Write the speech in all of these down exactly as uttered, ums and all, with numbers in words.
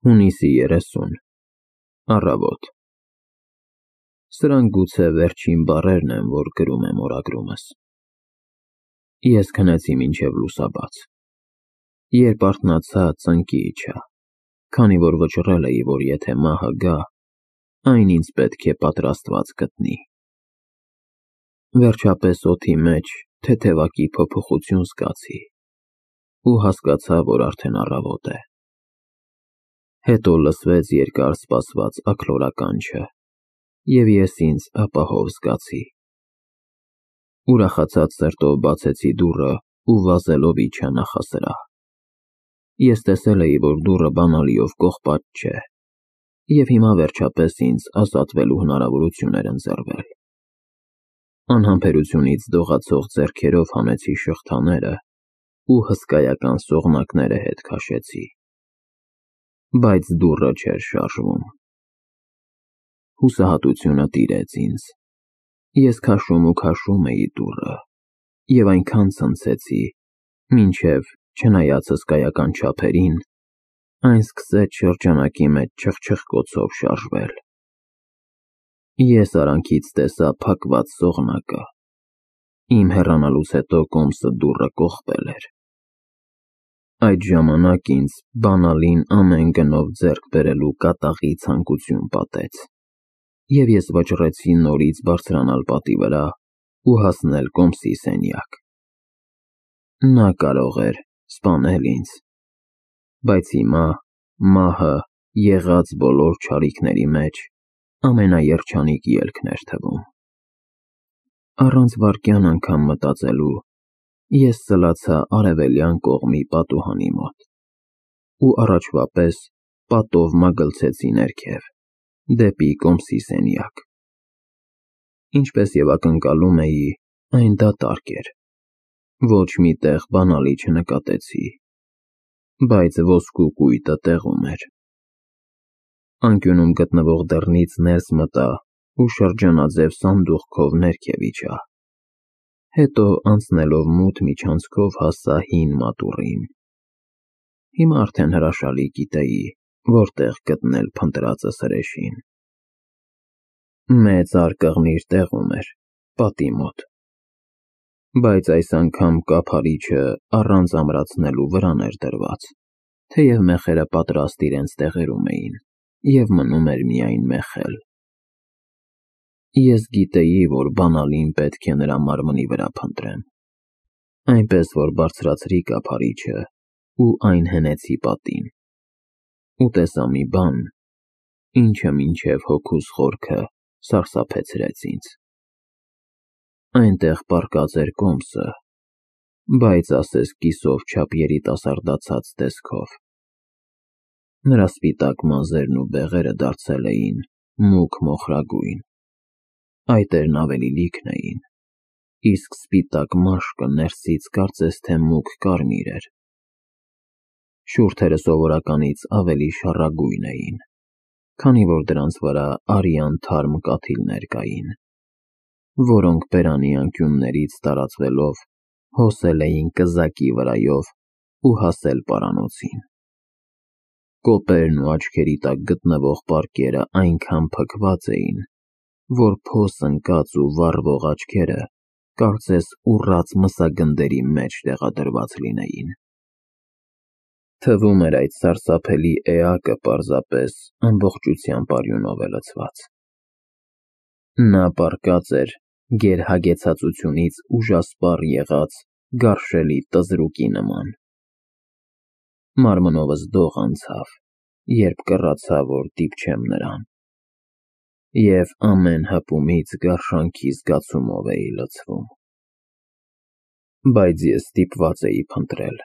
Հունիսի երեսուն Առավոտ Սրանք գուցե վերջին բառերն են, որ գրում եմ օրագրումս։ Ես քնեցի մինչև լուսաբաց։ Երբ արթնացա, ծնկի իջա, քանի որ վճռել էի, որ եթե մահը գա, այն ինձ պետք է պատրաստված գտնի։ Վերջապես օդի մեջ թեթևակի փոփոխություն զգացի ու հասկացա, որ արդեն առավոտ է։ Հետո լսվեց երկար սպասված աքլորականջը, և ես ինձ ապահով զգացի։ Ուրախացած սրտով բացեցի դուռը ու վազելով իջա նախասրահ։ Ես տեսել էի, որ դուռը բանալիով կողպած չէ, և հիմա վերջապես ինձ ազատվելու հնարավորություն էր ընձեռվել։ Անհամբերությունից դողացող ձեռքերով հանեցի շղթաները ու հսկայական սողնակները հետ քաշեցի, բայց դուռը չէր շարժվում։ Հուսահատությունը տիրեց ինձ։ Ես քաշում ու քաշում էի դուռը և այնքան ցնցեցի, մինչև, չնայած հսկայական չափերին, այն սկսեց շրջանակի մեջ չխչխկոցով շարժվել։ Ես արանքից տեսա փակված սողնակը։ Իմ հեռանալուց հետո կոմսը դուռը կողպել էր։ Այդ ժամանակ ինձ բանալին ամեն գնով ձեռք բերելու կատաղի ցանկություն պատեց, և ես վճռեցի նորից բարձրանալ պատի վրա ու հասնել կոմսի սենյակ։ Նա կարող էր սպանել ինձ, բայց հիմա մահը եղած բոլոր չարիքների մեջ ամենաերջանիկ ելքն էր թվում։ Առանց վայրկյան անգամ մտածելու ես սլացա արևելյան կողմի պատուհանի մոտ ու առաջվա պես պատով մագլցեցի ներքև, դեպի կոմսի սենյակ։ Ինչպես և ակնկալում էի, այն դատարկ էր, ոչ մի տեղ բանալի չնկատեցի, բայց ոսկու կույտը տեղում էր։ Անկյունում գտնվող դռնից ներս մտա ու շրջանաձև սանդուղքով ներքև իջա, հետո անցնելով մութ միջանցքով հասա հին մատուռին։ Հիմա արդեն հրաշալի գիտեի, որտեղ գտնել փնտրածը սրեշին։ Մեծ արկղմիր տեղում էր, պատի մոտ, բայց այս անգամ կափարիչը առանց ամրացնելու վրան էր դրված, թեև մեխերը պատրաստ իրենց տեղերում էին, և մնում էր միայն մեխել։ Ես գիտեի, որ բանալին պետք է նրա մարմնի վրա փնտրեմ, այնպես որ բարձրացրի կափարիչը ու այն հենեցի պատին, ու տեսա մի բան, ինչը մինչև հոգուս խորքը սարսափեցրեց ինձ։ Այնտեղ պառկած էր կոմսը, բայց ասես կիսով չափ երիտասարդացած տեսքով։ Նրա սպիտակ մազերն ու բեղերը դարձել էին մուգ մոխրագույն, այտերն ավելի լիքն էին, իսկ սպիտակ մաշկը ներսից կարծես թե մուգ կարմիր էր։ Շուրթերը սովորականից ավելի շառագույն էին, քանի որ դրանց վրա արյան թարմ կաթիլներ կային, որոնք բերանի անկյուններից տարածվելով հոսել էին կզակի վրայով ու հասել պարանոցին։ Կոպերն ու աչքերի տակ գտնվող պարկերը այնքան փքված էին, որ փոս ընկած ու վառվող աչքերը կարծես ուռած մսագնդերի մեջ տեղադրված լինեին։ Թվում էր այդ սարսափելի էակը պարզապես ամբողջությամբ արյունով է լցված։ Նա պառկած էր գերհագեցածությունից ուժասպառ եղած գարշելի տզրուկի նման։ Մարմնովս դող անցավ, երբ կռացա, որ դիպչեմ նրան, և ամեն հպումից գարշանքի զգացումով էի լցվում։ Բայց ես ստիպված էի փնտրել,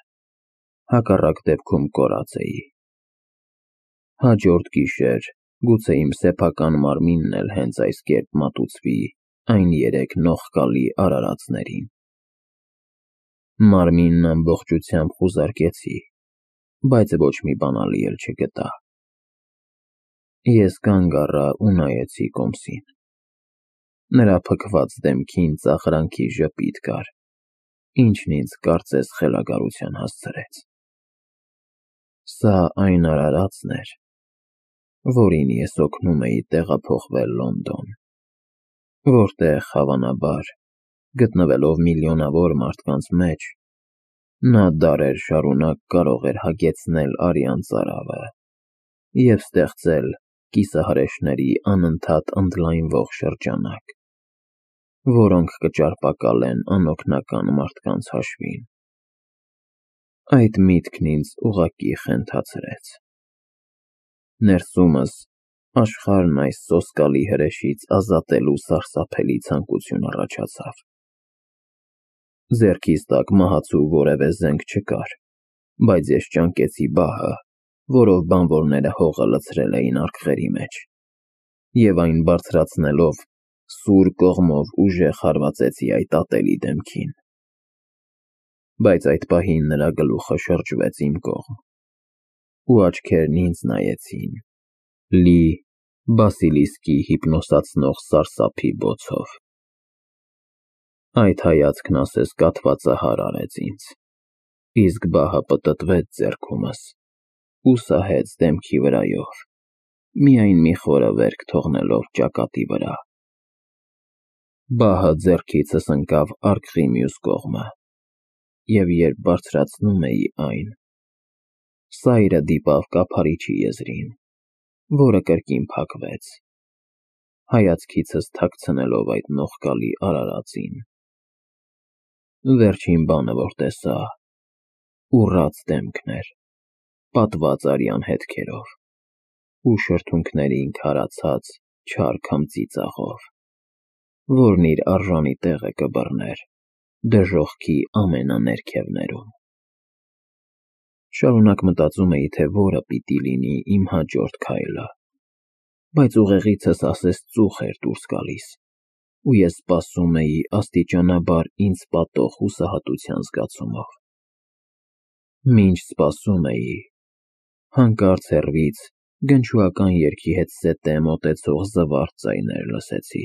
հակառակ դեպքում կորած էի։ Հաջորդ գիշեր գուցե իմ սեփական մարմինն էլ հենց այս կերպ մատուցվի այն երեք նողկալի արարածներին։ Մարմինն ամբողջությամբ խուզարկեցի, բայց ոչ մի բանալի էլ չգտա։ Ես կանգ առա ու նայեցի կոմսին։ Նրա փքված դեմքին ծաղրանքի ժպիտ կար, ինչն ինձ կարծես խելագարության հասցրեց։ Սա այն արարածն էր, որին ես օգնում էի տեղափոխվել Լոնդոն, որտեղ, հավանաբար, գտնվելով միլիոնավոր մարդկանց մեջ, նա դարեր շարունակ կարող էր հագեցնել արյան ծարավը և ստեղծել կիսահրեշների անընդհատ ընդլայնվող շրջանակ, որոնք կճարպակալեն անօգնական մարդկանց հաշվին։ Այդ միտքն ինձ ուղղակի խենթացրեց։ Ներսումս աշխարհն այս սոսկալի հրեշից ազատելու սարսափելի ցանկություն առաջացավ։ Ձեռքիս տակ մահացու որևէ զենք չկար, բայց ես ճանկեցի բահը, որով բանվորները հողը լցրել էին արկղերի մեջ, և այն բարձրացնելով սուր կողմով ուժեղ հարվածեցի այդ ատելի դեմքին։ Բայց այդ պահին նրա գլուխը շրջվեց իմ կողմ, ու աչքերն ինձ նայեցին, լի բասիլիսկի հիպնոսացնող սարսափի բոցով։ Այդ հայացքն ասես կաթվածահար արեց ինձ, իսկ բահը պտտվեց ձեռքումս ու սահեց դեմքի վրայով, միայն մի խորը վերք թողնելով ճակատի վրա։ Բահը ձեռքիցս ընկավ արկղի մյուս կողմը, և երբ բարձրացնում էի այն, սայրը դիպավ կափարիչի եզրին, որը կրկին փակվեց, հայացքիցս թաքցնելով այդ նողկալի արարածին։ Վերջին բանը, որ տեսա, ուռած դեմքն էր, պատված արյան հետքերով ու շրթունքներին քարացած չար քմծի ծաղով, որն իր արժանի տեղը կբռներ դժոխքի ամենաներքևներում։ Շարունակ մտածում էի, թե որը պիտի լինի իմ հաջորդ քայլը, բայց ուղեղիցս ասես ծուխ էր դուրս գալիս, ու ես սպասում էի աստիճանաբար ինձ պատող հուսահատության զգացումով։ Մինչ սպասում էի, հանկարծ հեռվից գնչուական երգի հետ սետե մոտեցող զվարթ ձայներ լսեցի։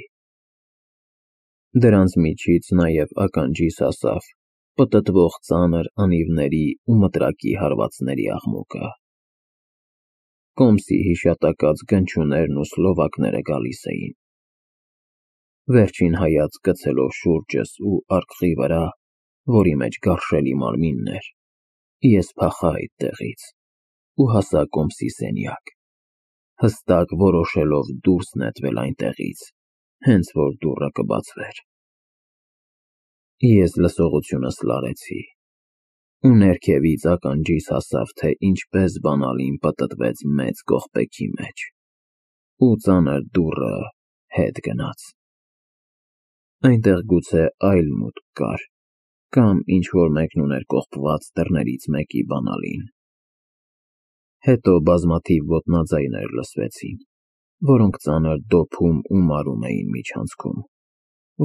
Դրանց միջից նաև ականջիս հասավ պտտվող ծանր անիվների ու մտրակի հարվածների աղմուկը։ Կոմսի հիշատակած գնչուներն ու սլովակները գալիս էին։ Վերջին հայացք գցելով շուրջս ու արկղի վրա, որի մեջ գարշելի մարմինն էր, ես փախա այդտեղից ու հասա Կոմսի սենյակ, հստակ որոշելով դուրս նետվել այնտեղից, հենց որ դուռը կբացվեր։ Ես լսողությունս լարեցի, ու ներքևից ականջիս հասավ, թե ինչպես բանալին պտտվեց մեծ կողպեքի մեջ, ու ծանր դուռը հետ գնաց։ Այնտեղ գուցե այլ մուտք կար, կամ ինչ-որ մեկն ուներ կողպված դռներից մեկի բանալին։ Հետո բազմաթիվ ոտնաձայներ լսվեցին, որոնք ծանր դոփում ու մարում էին միջանցքում,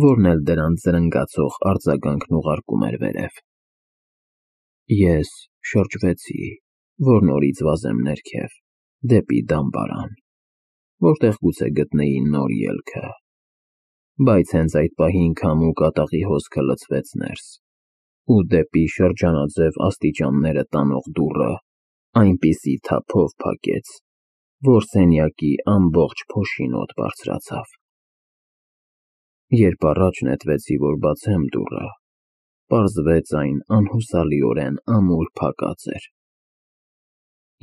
որն էլ դրանց զրնգացող արձագանքն ուղարկում էր վերև։ Ես շրջվեցի, որ նորից վազեմ ներքև, դեպի դամբարան, որտեղ գուցե գտնեի նոր ելքը, բայց հենց այդ պահին քամու կատաղի հոսքը լցվեց ներս, ու դեպի շրջանաձև աստիճանները տանող դուռը այնպիսի թափով փակեց, որ սենյակի ամբողջ փոշին օդ բարձրացավ։ Երբ առաջ նետվեցի, որ բացեմ դուռը, պարզվեց այն անհուսալիորեն ամուր փակած էր։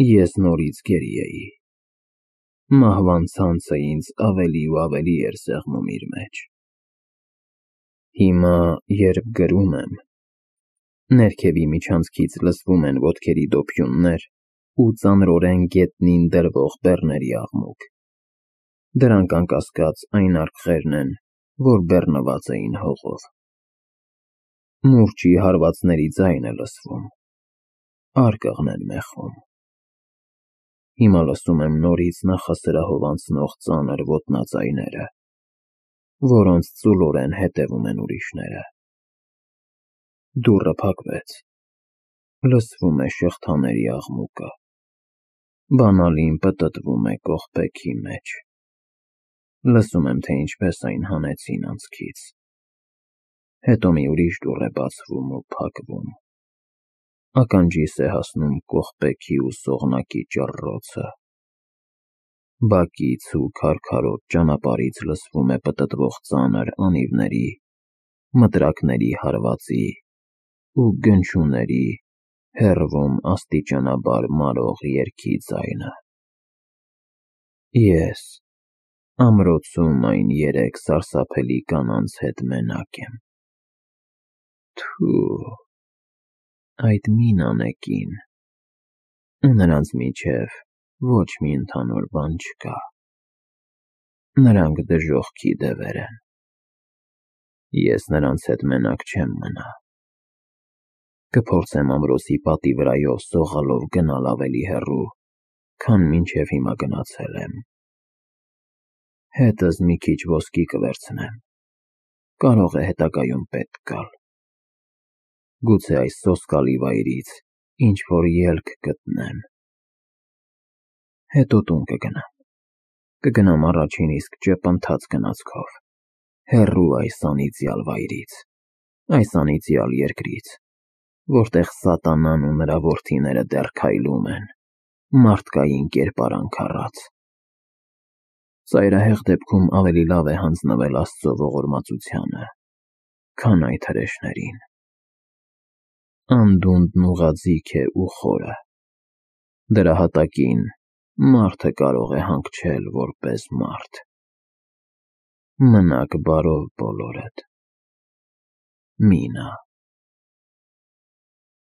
Ես նորից գերի էի։ Մահվան ցանցը ինձ ավելի ու ավելի էր սեղմում իր մեջ։ Հիմա, երբ գրում եմ, ներքևի միջանցքից լսվում են ոտքերի դոփյուններ ու ծանրորեն գետնին դրվող բեռների աղմուկ։ Դրանք անկասկած այն արկղերն են, որ բեռնված էին հողով։ Մուրճի հարվածների ձայն է լսվում, արկղն են մեխում։ Հիմա լսում եմ նորից նախասրահով անցնող ծանր ոտնաձայները, որոնց ծուլորեն հետևում են ուրիշները։ Դուռը փակվեց, լսվում է շղթաների աղմուկը, բանալին պտտվում է կողպեքի մեջ։ Լսում եմ, թե ինչպես այն հանեցին անցքից։ Հետո մի ուրիշ դուռ է բացվում ու փակվում։ Ականջիս է հասնում կողպեքի ու սողնակի ճռռոցը։ Բակից ու քարքարոտ ճանապարհից լսվում է պտտվող ծանր անիվների, մտրակների հարվածի ու գնչուների հեռվում աստիճանաբար մարող երգի ձայնը։ Ես ամրոցում այն երեք սարսափելի կանանց հետ մենակ եմ։ Թու, այդ մինանեկին, ու նրանց միջև ոչ մի ընդհանուր բան չկա։ Նրանք դժոխքի դևեր են։ Ես նրանց հետ մենակ չեմ մնա։ Կփորձեմ ամրոցի պատի վրայով սողալով գնալ ավելի հեռու, քան մինչև հիմա գնացել եմ։ Հետս մի քիչ ոսկի կվերցնեմ, կարող է հետագայում պետք գալ։ Գուցե այս սոսկալի վայրից ինչ-որ ելք գտնեմ։ Հետո տուն կգնամ, կգնամ առաջին իսկ ճեպընթաց գնացքով, հեռու այս անիծյալ վայրից, այս անիծյալ երկրից, որտեղ սատանան ու նրա որդիները դեռ քայլում են, մարդկային կերպարանք առած։ Ծայրահեղ դեպքում ավելի լավ է հանձնվել Աստծո ողորմածությանը, քան այդ հրեշներին։ Անդունդն ուղղաձիգ է ու խորը, դրա հատակին մարդը կարող է հանգչել որպես մարդ։ Մնաք բարով բոլորդ։ Մինա։